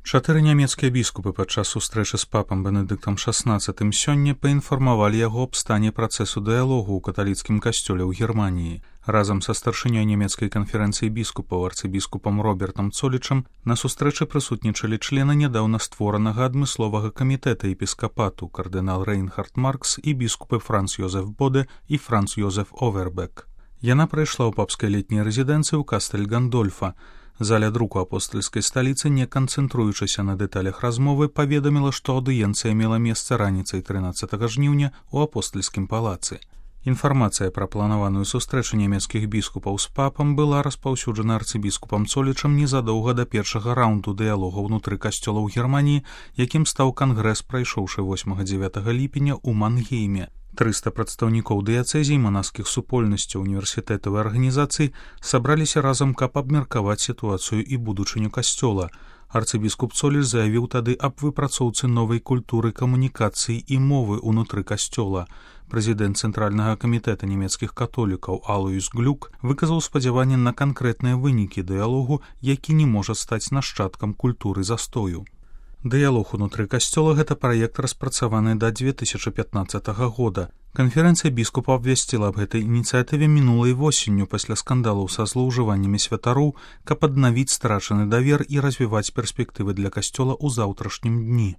Чатыры нямецкія біскупы падчас сустрэчы з папам Бенедыктам XVI сёння паінфармавалі яго аб стане працэсу дыялогу ў каталіцкім касцёле ў Германіі. Разам са старшынёй нямецкай канферэнцыі біскупаў арцыбіскупам Робертам Цолічам на сустрэчы прысутнічалі члены нядаўна створанага адмысловага камітэта епіскапату кардынал Рейнхард Маркс і біскупы Франц Йозеф Боде і Франц Йозеф Овербек. Яна прайшла ў папскай летняй рэзідэнцыі ў Кастэль Гандольфа. Заля друку апостальскай сталіцы, не канцэнтруючыся на дэталях размовы, паведаміла, што аўдыенцыя мела месца раніцай 13 жніўня ў апостальскім палацы. Інфармацыя пра планаваную сустрэчу нямецкіх біскупаў з папам была распаўсюджана арцыбіскупам Цолічам незадоўга да першага раўнду дыялога ўнутры касцёла ў Германіі, якім стаў кангрэс, прайшоўшы 8-9 ліпеня ў Мангейме. 300 прадстаўнікоў дыяцэзій, манаскіх супольнасцяў, універсітэтаў і арганізацый сабраліся разам, каб абмеркаваць сітуацыю і будучыню касцёла. Арцыбіскуп Цоліч заявіў тады аб выпрацоўцы новай культуры камунікацыі і мовы ўнутры касцёла. Прэзідэнт Цэнтральнага камітэта нямецкіх католікаў Алоіс Глюк выказаў спадзяванне на канкрэтныя вынікі дыялогу, які не можа стаць нашчадкам культуры застою. Дыялог унутры касцёла — гэта праект, распрацаваны да 2015 года. Канферэнцыя біскупаў абвясціла аб гэтай ініцыятыве мінулай восенню пасля скандалаў са злоўжываннямі святароў, каб аднавіць страчаны давер і развіваць перспектывы для касцёла ў заўтрашнім дні.